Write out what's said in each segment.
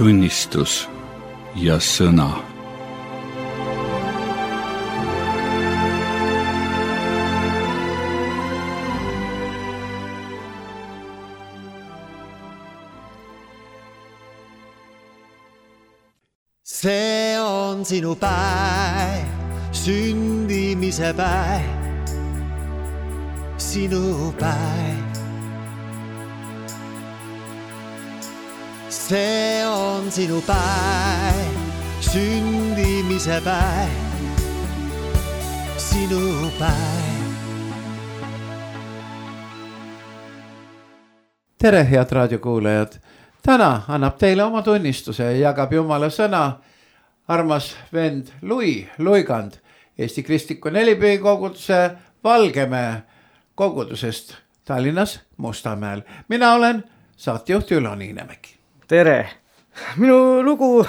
tunnistus ja sõna. See on sinu päev, sündimise päev, sinu päev. See on sinu päev, sündimise päev, sinu päev. Tere, head raadiokuulajad! Täna annab teile oma tunnistuse ja jagab Jumala sõna armas vend Luigand Eesti Kristliku Nelipühi koguduse Valgemäe kogudusest Tallinnas Mustamäel. Mina olen saatejuht Ülo Niinemägi. Tere! Minu lugu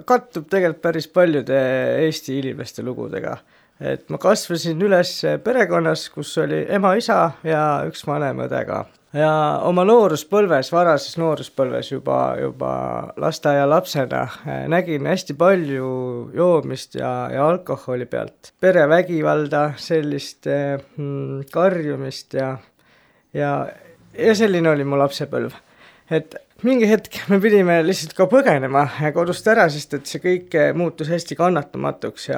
kattub tegelikult päris paljude Eesti inimeste lugudega. Et ma kasvasin üles perekonnas, kus oli ema, isa ja üks vanem õdega. Ja oma varases nooruspõlves juba lasteaia lapsena nägin hästi palju joomist ja alkoholi pealt. Perevägivalda, sellist karjumist ja selline oli mu lapsepõlv. Et mingi hetk me pidime lihtsalt ka põgenema kodust ära, sest et see kõik muutus hästi kannatamatuks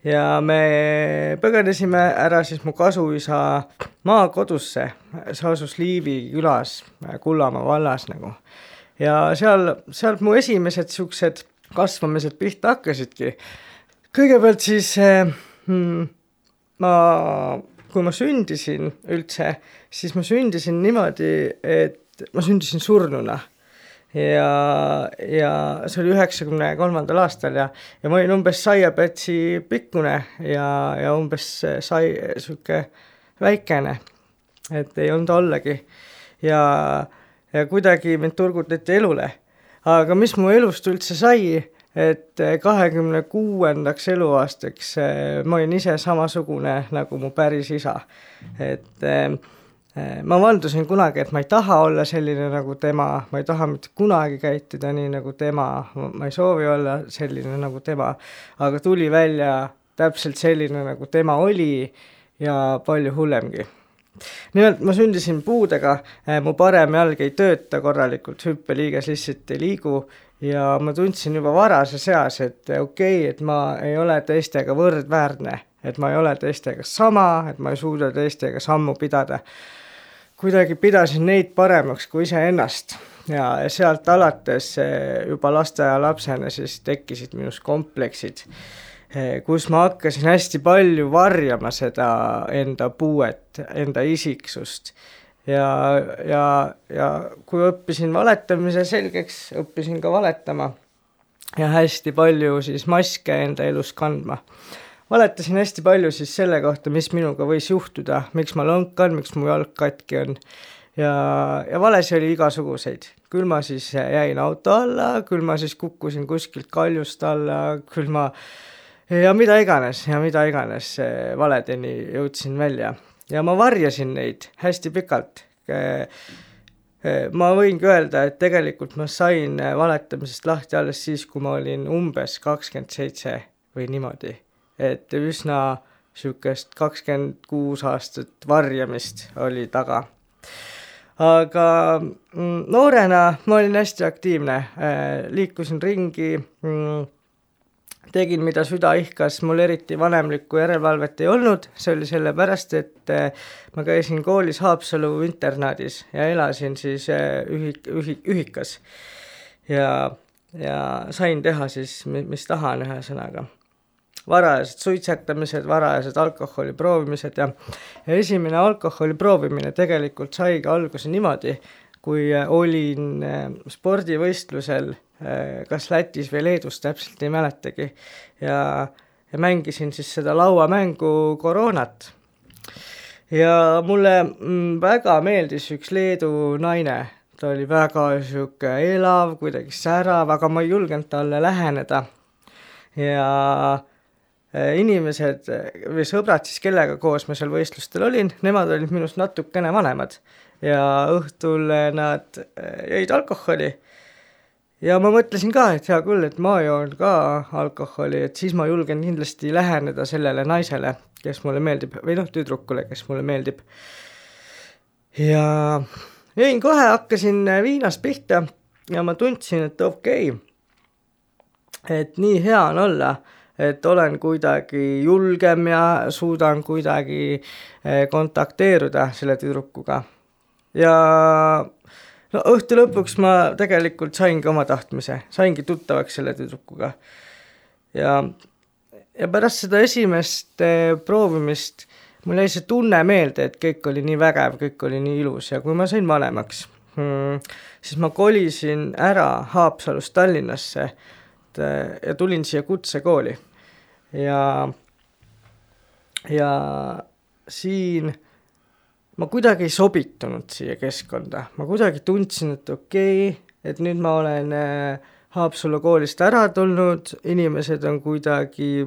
ja me põgenesime ära siis mu kasuisa maakodusse, see asus Liivi külas, Kullamaa vallas nagu. Ja sealt mu esimesed siuksed kasvamised pihta hakkasidki. Kõigepealt siis kui ma sündisin üldse, siis ma sündisin niimoodi, et ma sündisin surnuna. Ja see oli 93. aastal ja ma olin umbes saiapätsi pikkune ja umbes sai siuke väikene, et ei olnud ollagi ja kuidagi mind turgutati elule. Aga mis mu elust üldse sai, et 26. eluaastaks ma olin ise samasugune nagu mu päris isa, et ma vandusin kunagi, et ma ei taha olla selline nagu tema, ma ei taha mitte kunagi käituda nii nagu tema, ma ei soovi olla selline nagu tema, aga tuli välja täpselt selline nagu tema oli ja palju hullemgi. Nimelt ma sündisin puudega, mu parem jalg ei tööta korralikult, hüppeliiges lihtsalt ei liigu ja ma tundsin juba varase seas, et okei, et ma ei ole teistega võrdväärne, et ma ei ole teistega sama, et ma ei suuda teistega sammu pidada. Kuidagi pidasin neid paremaks kui ise ennast ja sealt alates juba lasteaia lapsena siis tekkisid minus kompleksid, kus ma hakkasin hästi palju varjama seda enda puuet, enda isiksust ja kui õppisin valetamise selgeks, õppisin ka valetama ja hästi palju siis maske enda elus kandma. Valetasin hästi palju siis selle kohta, mis minuga võis juhtuda, miks ma lõnkan, miks mu jalg katki on. Ja valesi oli igasuguseid. Küll ma siis jäin auto alla, küll ma siis kukkusin kuskilt kaljust alla, küll ma ja mida iganes valedeni jõudsin välja. Ja ma varjasin neid hästi pikalt. Ma võingi öelda, et tegelikult ma sain valetamisest lahti alles siis, kui ma olin umbes 27 või niimoodi. Et üsna sükest 26 aastat varjamist oli taga. Aga noorena ma olin hästi aktiivne, liikusin ringi, tegin mida süda ihkas, mul eriti vanemlikku järelevalvet ei olnud, see oli sellepärast, et ma käisin koolis Haapsalu internaadis ja elasin siis ühikas ja sain teha siis, mis tahan ühe sõnaga. Varajased suitsetamised, varajased alkoholi proovimised ja esimene alkoholi proovimine tegelikult saigi alguse niimoodi, kui olin spordivõistlusel kas Lätis või Leedus, täpselt ei mäletagi ja mängisin siis seda lauamängu Koroonat. Ja mulle väga meeldis üks Leedu naine, ta oli väga siuke elav, kuidagi särav, aga ma ei julgenud talle läheneda ja inimesed või sõbrad siis, kellega koos ma seal võistlustel olin, nemad olid minust natukene vanemad ja õhtul nad jõid alkoholi ja ma mõtlesin ka, et hea küll, et ma joon ka alkoholi, et siis ma julgen kindlasti läheneda sellele naisele, kes mulle meeldib, või tüdrukule, kes mulle meeldib. Ja jõin kohe, hakkasin viinast pihta ja ma tundsin, et okei, et nii hea on olla, et olen kuidagi julgem ja suudan kuidagi kontakteeruda selle tüdrukuga. Ja õhtu lõpuks ma tegelikult saingi oma tahtmise, saingi tuttavaks selle tüdrukuga. Ja pärast seda esimest proovimist mul jäi see tunne meelde, et kõik oli nii vägev, kõik oli nii ilus ja kui ma sain vanemaks, siis ma kolisin ära Haapsalust Tallinnasse ja tulin siia kutsekooli. Ja siin ma kuidagi ei sobitunud siia keskkonda. Ma kuidagi tundsin, et okei, et nüüd ma olen Haapsalu koolist ära tulnud, inimesed on kuidagi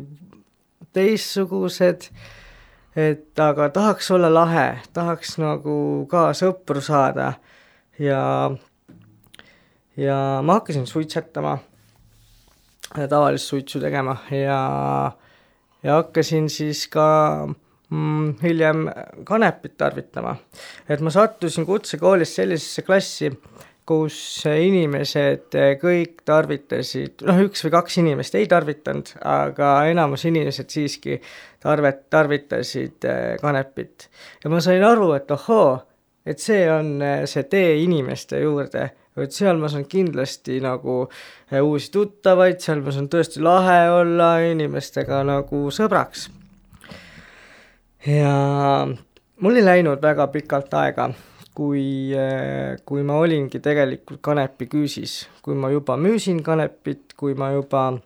teissugused, et aga tahaks olla lahe, tahaks nagu ka sõpru saada ja ma hakkasin suitsetama, tavalist suitsu tegema ja hakkasin siis ka hiljem kanepit tarvitama. Et ma sattusin kutsekoolis sellisesse klassi, kus inimesed kõik tarvitasid, üks või kaks inimest ei tarvitanud, aga enamus inimesed siiski tarvitasid kanepit. Ja ma sain aru, et et see on see tee inimeste juurde, et seal ma saan kindlasti nagu uusi tuttavaid, seal ma saan tõesti lahe olla inimestega nagu sõbraks. Ja mul ei läinud väga pikalt aega, kui ma olingi tegelikult kanepi küüsis, kui ma juba müüsin kanepit, kui ma juba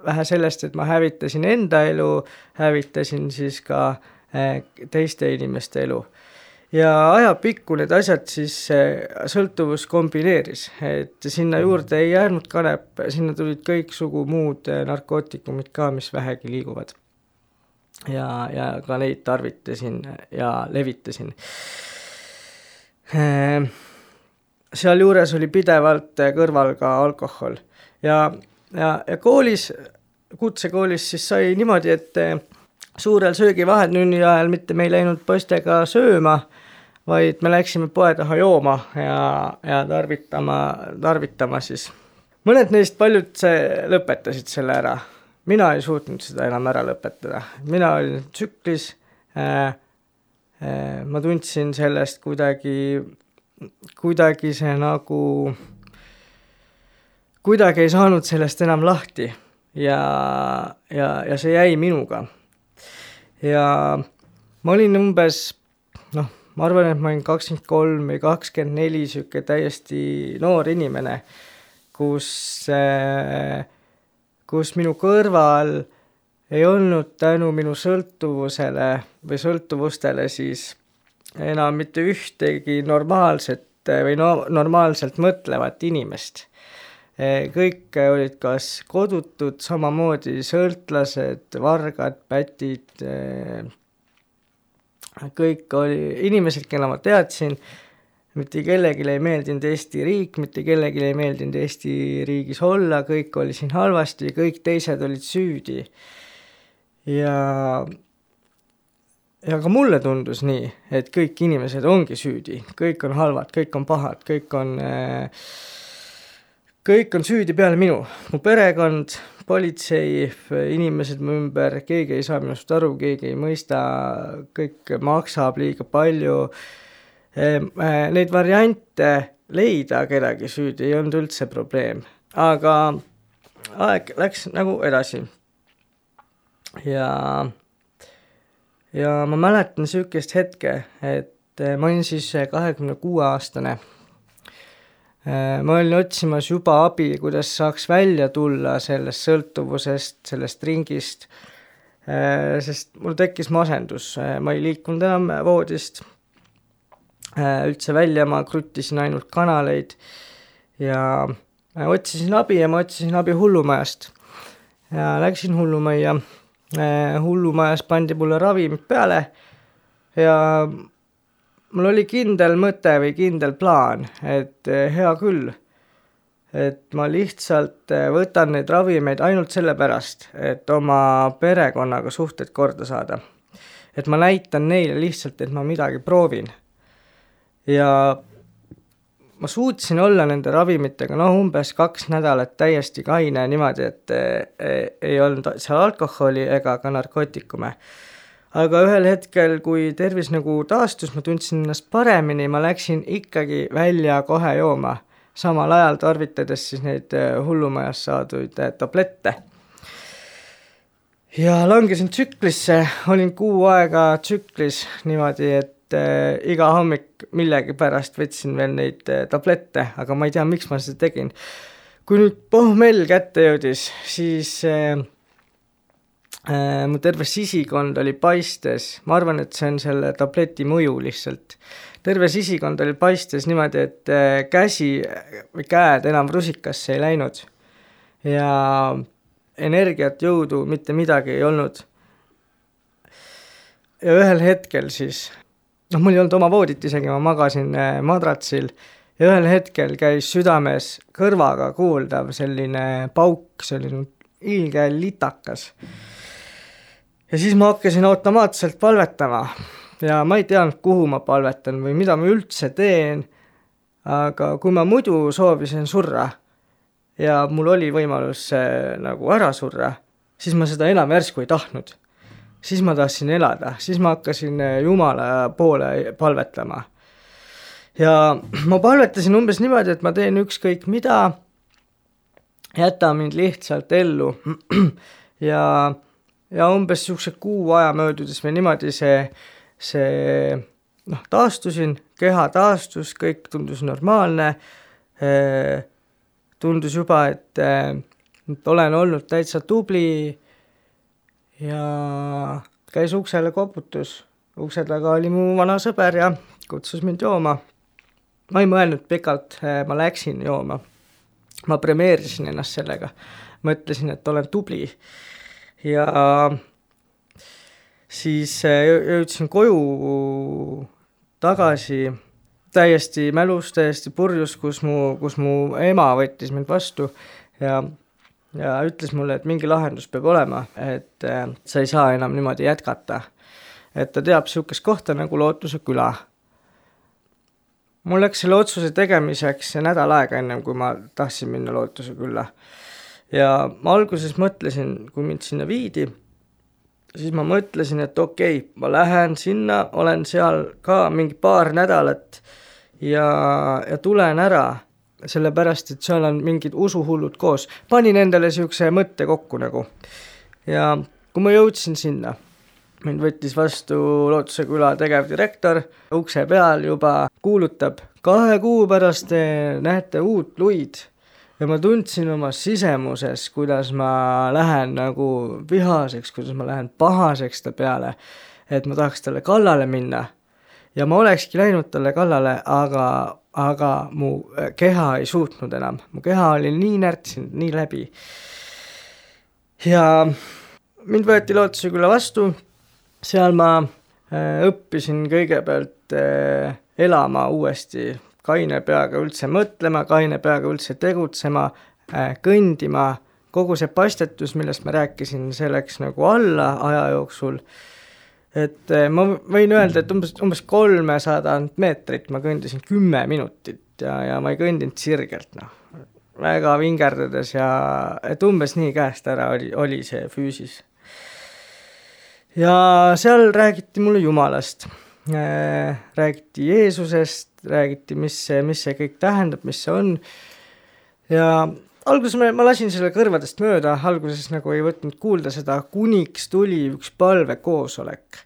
vähe sellest, et ma hävitasin enda elu, hävitasin siis ka teiste inimeste elu. Ja ajapikku need asjad siis sõltuvus kombineeris, et sinna juurde ei jäänud kanep, sinna tulid kõiksugu muud narkootikumid ka, mis vähegi liiguvad. Ja ka neid tarvitasin ja levitasin. Seal juures oli pidevalt kõrval ka alkohol. Ja koolis, kutsekoolis siis sai niimoodi, et suurel söögivahetünni ajal mitte me ei läinud poistega sööma, vaid me läksime poe taha jooma ja tarvitama siis. Mõned neist paljud lõpetasid selle ära. Mina ei suutnud seda enam ära lõpetada. Mina olin tsüklis, ma tundsin sellest kuidagi see nagu, kuidagi ei saanud sellest enam lahti ja see jäi minuga. Ja ma olin umbes, ma arvan, et ma olin 23 või 24 süke täiesti noor inimene, kus minu kõrval ei olnud tänu minu sõltuvusele või sõltuvustele siis enam mitte ühtegi normaalset või normaalselt mõtlevat inimest. Kõik olid kas kodutud, samamoodi sõltlased, vargad, pätid, kõik oli inimesed, kelle ma teadsin, mitte kellelegi ei meeldinud Eesti riik, mitte kellelegi ei meeldinud Eesti riigis olla, kõik oli siin halvasti, kõik teised olid süüdi. Ja ka mulle tundus nii, et kõik inimesed ongi süüdi, kõik on halvad, kõik on pahad, kõik on süüdi peale minu. Mu perekond, politsei, inimesed mu ümber, keegi ei saa minust aru, keegi ei mõista, kõik maksab liiga palju. Neid variante leida kedagi süüdi ei olnud üldse probleem, aga aeg läks nagu edasi. Ja ma mäletan sükest hetke, et ma olin siis 26-aastane. Ma olin otsimas juba abi, kuidas saaks välja tulla sellest sõltuvusest, sellest ringist, sest mul tekkis masendus, ma ei liikunud enam voodist üldse välja, ma kruttisin ainult kanaleid ja otsisin abi ja ma otsisin abi hullumajast ja läksin hullumajja. Hullumajas pandi mulle ravimid peale ja mul oli kindel mõte või kindel plaan, et hea küll, et ma lihtsalt võtan neid ravimeid ainult sellepärast, et oma perekonnaga suhted korda saada. Et ma näitan neile lihtsalt, et ma midagi proovin. Ja ma suutsin olla nende ravimitega umbes 2 nädalat täiesti kaine niimoodi, et ei olnud seal alkoholi ega ka narkootikume. Aga ühel hetkel, kui tervis nagu taastus, ma tundsin ennast paremini, ma läksin ikkagi välja kohe jooma, samal ajal tarvitades siis neid hullumajas saaduid tablette. Ja langesin tsüklisse, olin 6 aega tsüklis niimoodi, et iga hommik millegi pärast võtsin veel neid tablette, aga ma ei tea, miks ma seda tegin. Kui nüüd pohmell kätte jõudis, siis mu terve sisikond oli paistes. Ma arvan, et see on selle tableti mõju lihtsalt. Terve sisikond oli paistes niimoodi, et käsi või käed enam rusikasse ei läinud. Ja energiat, jõudu, mitte midagi ei olnud. Ja ühel hetkel siis, mul ei olnud oma voodit isegi, ma magasin madratsil ja ühel hetkel käis südames kõrvaga kuuldav selline pauk, selline ilge litakas. Ja siis ma hakkasin automaatselt palvetama ja ma ei teadnud, kuhu ma palvetan või mida ma üldse teen, aga kui ma muidu soovisin surra ja mul oli võimalus nagu ära surra, siis ma seda enam järsku ei tahtnud. Siis ma tahtsin elada, siis ma hakkasin Jumala poole palvetama. Ja ma palvetasin umbes niimoodi, et ma teen ükskõik mida, jäta mind lihtsalt ellu. Ja umbes siukse 6 aja möödudes või niimoodi see taastusin, keha taastus, kõik tundus normaalne, tundus juba, et olen olnud täitsa tubli ja käis uksele koputus. Ukse taga oli mu vana sõber ja kutsus mind jooma. Ma ei mõelnud pikalt, ma läksin jooma. Ma premeerisin ennast sellega. Mõtlesin, et olen tubli. Ja siis jõudsin koju tagasi täiesti mälus, täiesti purjus, kus mu ema võttis mind vastu ja ütles mulle, et mingi lahendus peab olema, et sa ei saa enam niimoodi jätkata. Et ta teab siukest kohta nagu Lootuse küla. Mul läks selle otsuse tegemiseks nädal aega ennem, kui ma tahtsin minna Lootuse külla. Ja ma alguses mõtlesin, kui mind sinna viidi, siis ma mõtlesin, et okei, ma lähen sinna, olen seal ka mingi 2 nädalat ja tulen ära, sellepärast, et seal on mingid usuhullud koos. Panin endale siukse mõtte kokku nagu. Ja kui ma jõudsin sinna, mind võttis vastu Lootuse küla tegevdirektor, ukse peal juba kuulutab 2 kuu pärast näete uut Luid. Ja ma tundsin oma sisemuses, kuidas ma lähen nagu vihaseks, kuidas ma lähen pahaseks ta peale, et ma tahaks talle kallale minna. Ja ma olekski läinud talle kallale, aga mu keha ei suutnud enam. Mu keha oli nii närtsinud, nii läbi. Ja mind võeti Lootuse küla vastu. Seal ma õppisin kõigepealt elama uuesti, kaine peaga üldse mõtlema, kaine peaga üldse tegutsema, kõndima. Kogu see pastetus, millest ma rääkisin, see läks nagu alla aja jooksul. Et ma võin öelda, et umbes 300 meetrit ma kõndisin 10 minutit ja ma ei kõndinud sirgelt. Väga vingerdades ja et umbes nii käest ära oli see füüsis. Ja seal räägiti mulle Jumalast. Räägiti Jeesusest, räägiti, mis see kõik tähendab, mis see on. Ja alguses ma lasin selle kõrvadest mööda, alguses nagu ei võtnud kuulda seda, kuniks tuli üks palvekoosolek.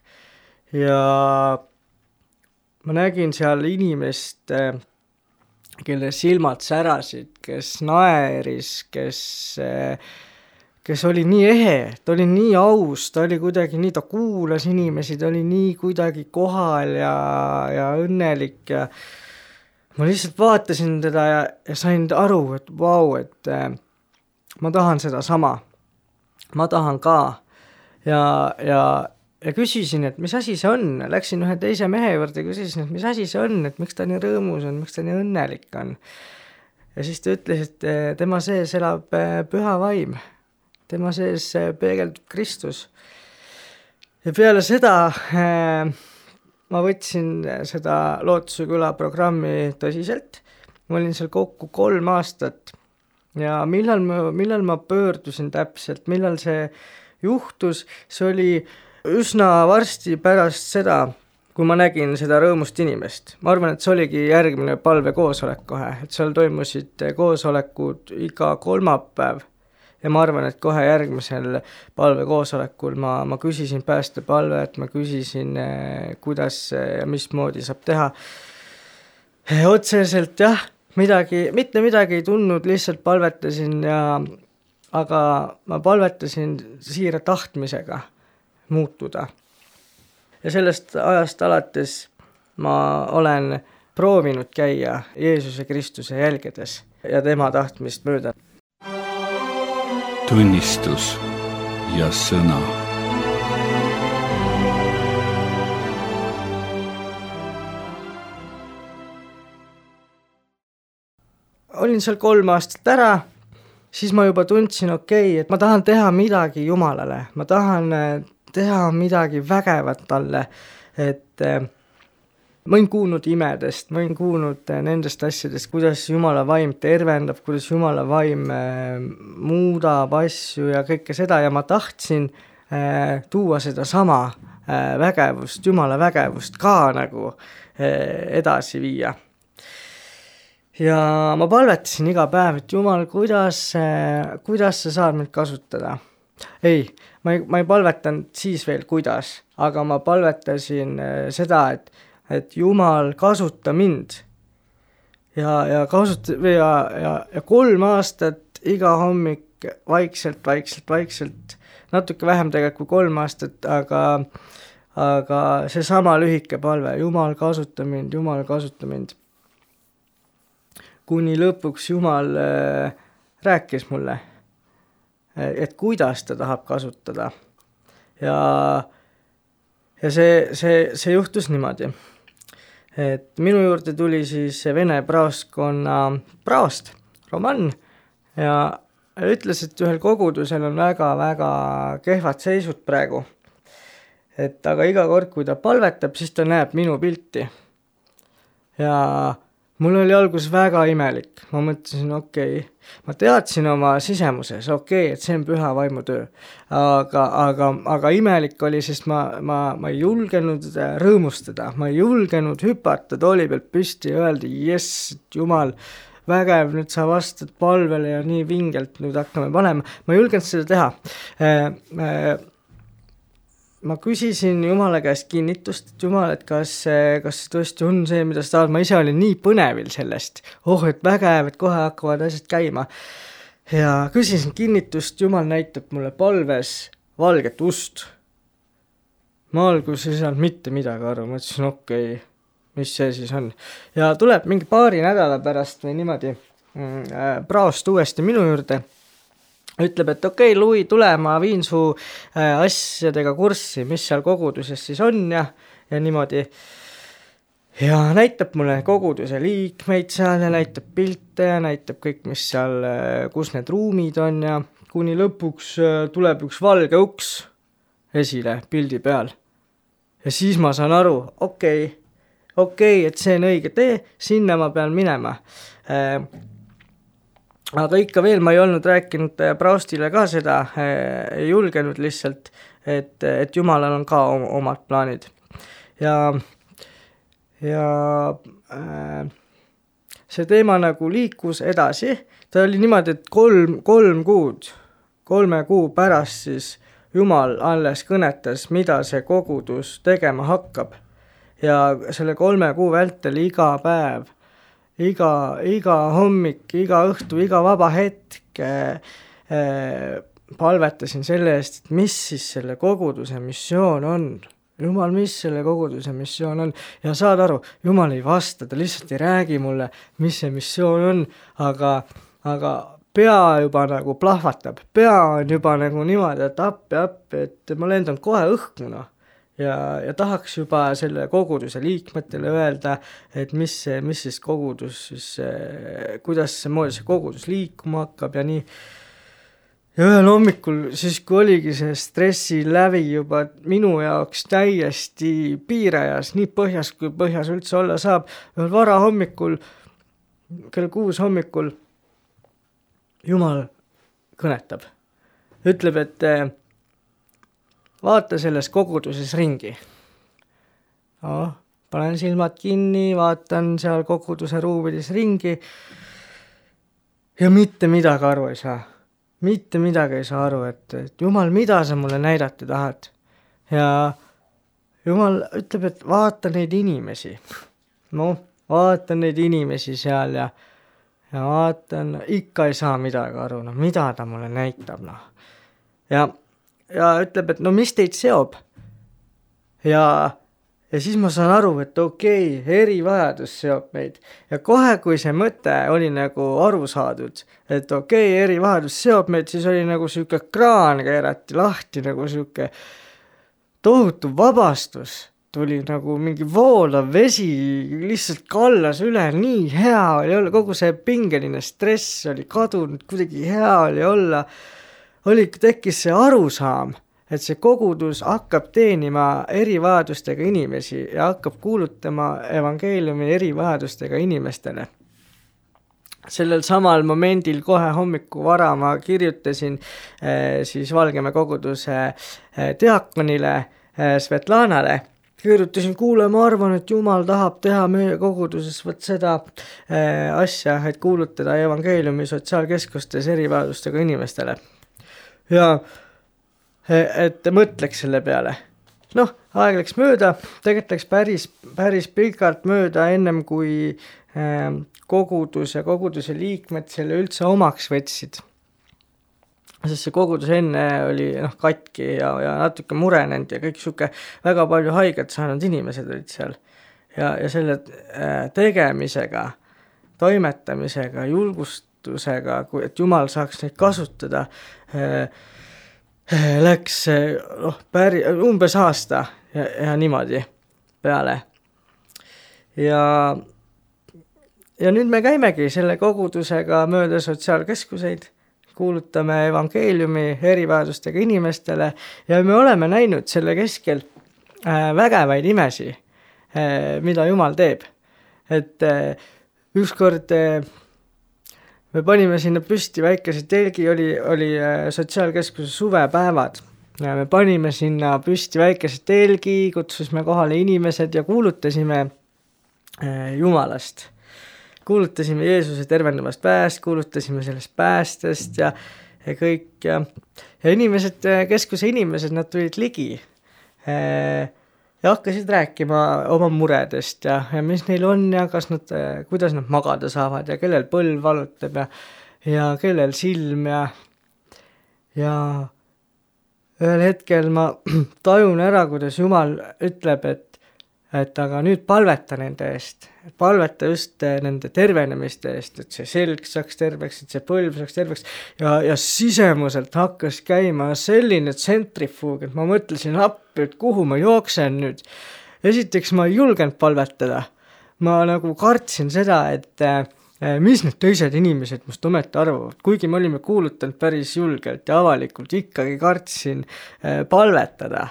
Ja ma nägin seal inimest, kelle silmad särasid, kes naeris, kes oli nii ehe, ta oli nii aus, ta oli kuidagi nii, ta kuulas inimesi, ta oli nii kuidagi kohal ja õnnelik ja ma lihtsalt vaatasin teda ja sain aru, et vau, et ma tahan seda sama. Ma tahan ka. Ja küsisin, et mis asi see on. Läksin ühe teise mehe juurde ja küsisin, et mis asi see on, et miks ta nii rõõmus on, miks ta nii õnnelik on. ja siis ta ütles, et tema sees elab püha vaim, tema sees peegeldub Kristus. Ja peale seda ma võtsin seda Lootuse küla programmi tõsiselt, ma olin seal kokku 3 aastat ja millal ma pöördusin täpselt, millal see juhtus, see oli üsna varsti pärast seda, kui ma nägin seda rõõmust inimest. Ma arvan, et see oligi järgmine palvekoosolek kohe, et seal toimusid koosolekud iga kolmapäev ja ma arvan, et kohe järgmisel palvekoosolekul ma küsisin päästepalvet, ma küsisin, kuidas ja mismoodi saab teha. Otseselt jah, mitte midagi ei tundnud, lihtsalt palvetasin aga ma palvetasin siira tahtmisega muutuda. Ja sellest ajast alates ma olen proovinud käia Jeesuse Kristuse jälgedes ja tema tahtmist mööda. Tunnistus ja sõna. Olin seal 3 aastat ära, siis ma juba tundsin, et ma tahan teha midagi Jumalale, ma tahan teha midagi vägevat talle, et ma olen kuulnud imedest, ma olen kuulnud nendest asjadest, kuidas Jumala vaim tervendab, kuidas Jumala vaim muudab asju ja kõike seda ja ma tahtsin tuua seda sama vägevust, Jumala vägevust ka nagu edasi viia. Ja ma palvetasin iga päev, et Jumal, kuidas sa saad mind kasutada? Ei, ma ei palvetanud siis veel kuidas, aga ma palvetasin seda, et Jumal kasuta mind ja 3 aastat iga hommik vaikselt, natuke vähem tegelikult kui 3 aastat, aga see sama lühike palve, Jumal kasuta mind. Kuni lõpuks Jumal rääkis mulle, et kuidas ta tahab kasutada. Ja see juhtus niimoodi, et minu juurde tuli siis Vene praostkonna praost, Roman, ja ütles, et ühel kogudusel on väga-väga kehvad seisud praegu. Et aga iga kord, kui ta palvetab, siis ta näeb minu pilti. Ja mul oli alguses väga imelik, ma mõtlesin, ma teadsin oma sisemuses, et see on püha vaimu töö, aga imelik oli, sest ma ei julgenud rõõmustada, ma ei julgenud hüpata tooli pealt püsti ja öelda, jess, Jumal, vägev, nüüd sa vastad palvele ja nii vingelt nüüd hakkame panema, ma ei julgenud seda teha. Ma küsisin Jumala käest kinnitust, et Jumal, et kas tõesti on see, mida sa tahad, ma ise olin nii põnevil sellest, et vägev, et kohe hakkavad asjad käima. Ja küsisin kinnitust, Jumal näitab mulle palves valget ust. Ma alguses ei saanud mitte midagi aru, ma ütlesin, mis see siis on. Ja tuleb mingi 2 nädala pärast või niimoodi praost uuesti minu juurde, ütleb, et Louis, tule, ma viin su asjadega kurssi, mis seal koguduses siis on ja niimoodi. Ja näitab mulle koguduse liikmeid seal ja näitab pilte ja näitab kõik, mis seal, kus need ruumid on ja kuni lõpuks tuleb üks valge uks esile pildi peal. Ja siis ma saan aru, et see on õige tee, sinna ma pean minema. Aga ikka veel ma ei olnud rääkinud praostile ka seda, ei julgenud lihtsalt, et Jumalal on ka omad plaanid. Ja see teema nagu liikus edasi, ta oli niimoodi, et 3 kuu pärast siis Jumal alles kõnetas, mida see kogudus tegema hakkab. Ja selle 3 kuu vältel iga päev, iga hommik, iga õhtu, iga vaba hetk palvetasin selle eest, et mis siis selle koguduse missioon on. Jumal, mis selle koguduse missioon on. Ja saad aru, Jumal ei vasta, ta lihtsalt ei räägi mulle, mis see missioon on, aga pea juba nagu plahvatab, pea on juba nagu niimoodi, et appi, et ma lendan kohe õhkuna. ja tahaks juba selle koguduse liikmetele öelda, et mis siis kogudus siis, kuidas see kogudus liikuma hakkab ja nii. Ja ühel hommikul siis, kui oligi see stressi lävi juba minu jaoks täiesti piirajas, nii põhjas, kui põhjas üldse olla saab, ühel vara hommikul, kell 6 hommikul, Jumal kõnetab. Ütleb, et vaata selles koguduses ringi. No, panen silmad kinni, vaatan seal koguduse ruumides ringi ja mitte midagi aru ei saa. Mitte midagi ei saa aru, et Jumal, mida sa mulle näidata tahad? Ja Jumal ütleb, et vaata neid inimesi. No, vaatan neid inimesi seal ja vaatan, ikka ei saa midagi aru, no mida ta mulle näitab, no. Ja ütleb, et no mis teid seob? Ja siis ma saan aru, et okei, erivajadus seob meid. Ja kohe, kui see mõte oli nagu aru saadud, et okei, erivajadus seob meid, siis oli nagu siuke kraan keerati lahti, nagu siuke tohutu vabastus. Tuli nagu mingi voolav vesi, lihtsalt kallas üle, nii hea oli olla, kogu see pingeline stress oli kadunud, kuidagi hea oli olla. Tekkis see arusaam, et see kogudus hakkab teenima erivajadustega inimesi ja hakkab kuulutama evangeeliumi erivajadustega inimestele. Sellel samal momendil kohe hommiku vara ma kirjutasin siis Valgemäe koguduse diakonile Svetlanale. Kirjutasin, kuule, ma arvan, et Jumal tahab teha meie koguduses seda asja, et kuulutada evangeeliumi sotsiaalkeskustes erivajadustega inimestele. Ja et mõtleks selle peale. Noh, aeg läks mööda, tegelikult läks päris pikalt mööda ennem kui kogudus ja koguduse liikmed selle üldse omaks võtsid. Sest see kogudus enne oli katki ja natuke murenenud ja kõik siuke väga palju haiget saanud inimesed olid seal. Ja selle tegemisega, toimetamisega, julgustusega, et Jumal saaks neid kasutada, läks umbes aasta ja niimoodi peale. Ja nüüd me käimegi selle kogudusega mööda sotsiaalkeskuseid, kuulutame evangeeliumi erivajadustega inimestele ja me oleme näinud selle keskel vägevaid imesi, mida Jumal teeb. Et ükskord me panime sinna püsti väikese telgi, oli sotsiaalkeskuse suvepäevad. Ja me panime sinna püsti väikese telgi, kutsusime kohale inimesed ja kuulutasime Jumalast. Kuulutasime Jeesuse tervendavast pääst, kuulutasime sellest päästest ja kõik. Ja inimesed, keskuse inimesed, nad tulid ligi ja hakkasid rääkima oma muredest ja mis neil on ja kuidas nad magada saavad ja kellel põlv valutab ja kellel silm ja ühel hetkel ma tajun ära, kuidas Jumal ütleb, et aga nüüd palveta nende eest, palveta just nende tervenemiste eest, et see selg saaks terveks, et see põlv saaks terveks ja sisemuselt hakkas käima selline tsentrifuug, et ma mõtlesin appi, et kuhu ma jooksen nüüd. Esiteks ma ei julgenud palvetada, ma nagu kartsin seda, et mis need teised inimesed must ometi arvavad, kuigi me olime kuulutanud päris julgelt ja avalikult, ikkagi kartsin palvetada.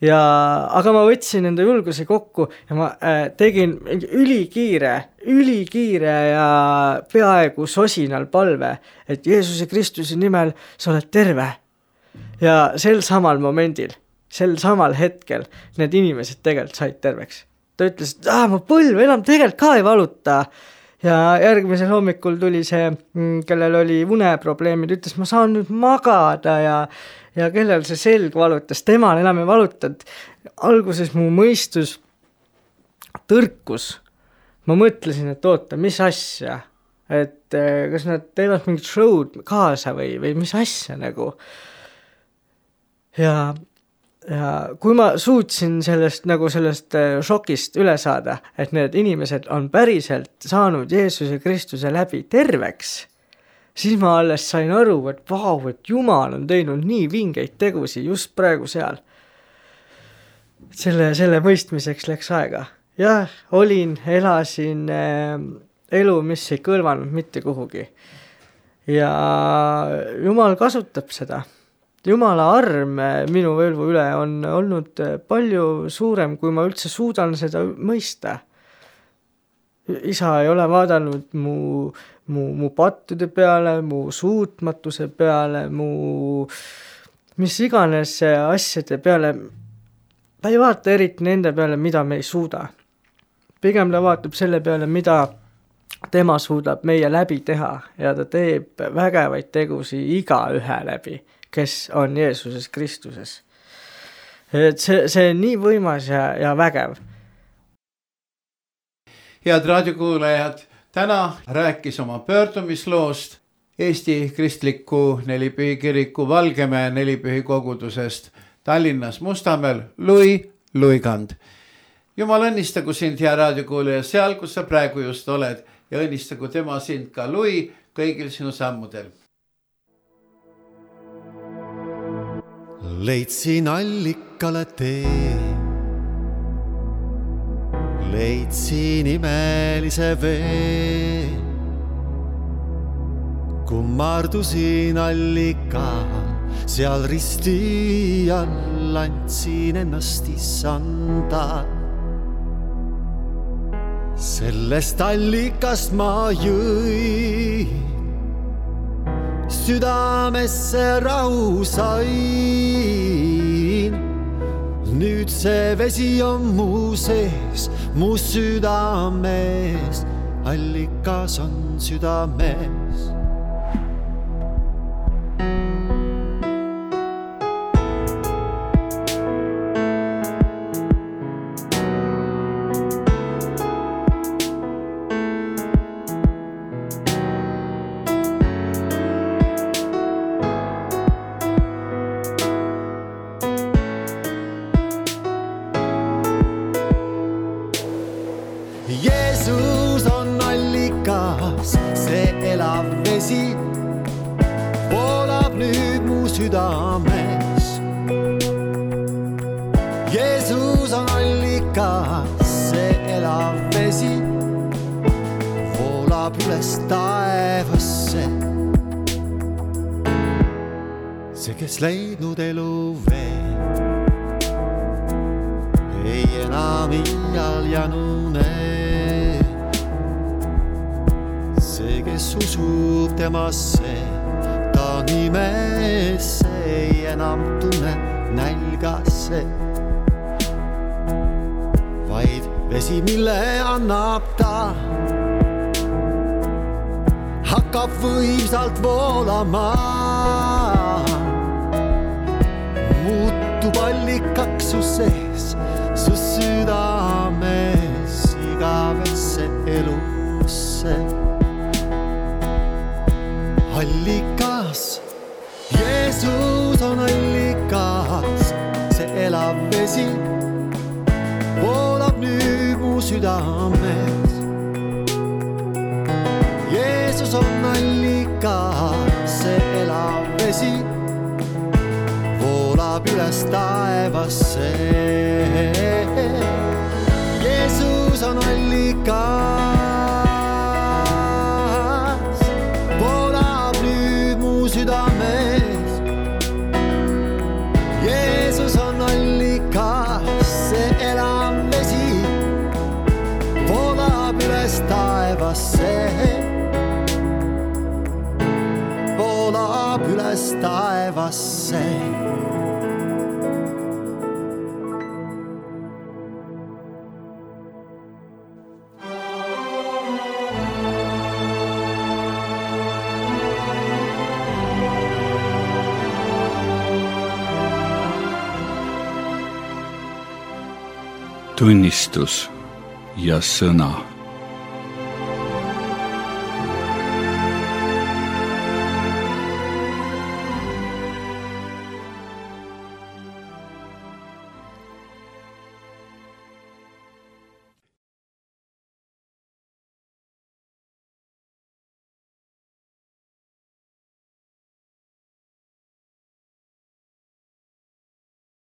Aga ma võtsin enda julguse kokku ja ma tegin ülikiire ja peaaegu sosinal palve, et Jeesuse Kristuse nimel sa oled terve. Ja sel samal momendil, sel samal hetkel need inimesed tegelikult said terveks. Ta ütles, et ma põlv enam tegelikult ka ei valuta. Ja järgmisel hommikul tuli see, kellel oli uneprobleemid, ütles, ma saan nüüd magada ja kellel see selg valutas, temal enam ei valutanud. Alguses mu mõistus tõrkus. Ma mõtlesin, et oota, mis asja, et kas nad teevad mingit show'd kaasa või mis asja nagu. Ja kui ma suutsin sellest šokist üle saada, et need inimesed on päriselt saanud Jeesuse Kristuse läbi terveks, siis ma alles sain aru, et vau, et Jumal on teinud nii vingeid tegusi just praegu seal. selle mõistmiseks läks aega. Jah, elasin elu, mis ei kõlvanud mitte kuhugi. Ja Jumal kasutab seda. Jumala arm minu elvu üle on olnud palju suurem, kui ma üldse suudan seda mõista. Isa ei ole vaadanud mu pattude peale, mu suutmatuse peale, mis iganes asjade peale. Ta ei vaata eriti nende peale, mida me ei suuda. Pigem ta vaatab selle peale, mida tema suudab meie läbi teha ja ta teeb vägevaid tegusi igaühe läbi, kes on Jeesuses Kristuses. Et see on nii võimas ja vägev. Head raadiokuulajad, täna rääkis oma pöördumisloost Eesti Kristliku Nelipühi kiriku Valgemäe Nelipühi kogudusest Tallinnas Mustamäel Louis Luigand. Jumal õnnistagu sind, hea raadiokuulaja, seal, kus sa praegu just oled ja õnnistagu tema sind ka Louis kõigil sinu sammudel. Leidsin allikale tee, leidsin imelise vee, kummardusin allikal, seal risti all andsin ennast issanda. Sellest allikast ma jõin, südamesse rahu sain. Nüüd see vesi on mu sees, mu südames, allikas on südames. Jeesus on allikas, see elav vesi voolab nüüd mu südames. Jeesus on allikas, see elav vesi voolab üles taevasse. See, kes leidnud elu veel, ei enam iial janune. See, kes usub temasse, ta nimesse, ei enam tunne nälgasse. Vaid vesi, mille annab ta, hakkab võimsalt voolama. Muutub allikaks su sees, su südames, igavesse elusse. Allikas, Jeesus on allikas, see elav vesi voolab nüüd mu südames. Jeesus on allikas, see elav vesi voolab üles taevasse. Jeesus on allikas, voolab nüüd mu südames. Jeesus on allikas, see elav vesi voolab üles taevasse. Voolab üles taevasse. Tunnistus ja sõna.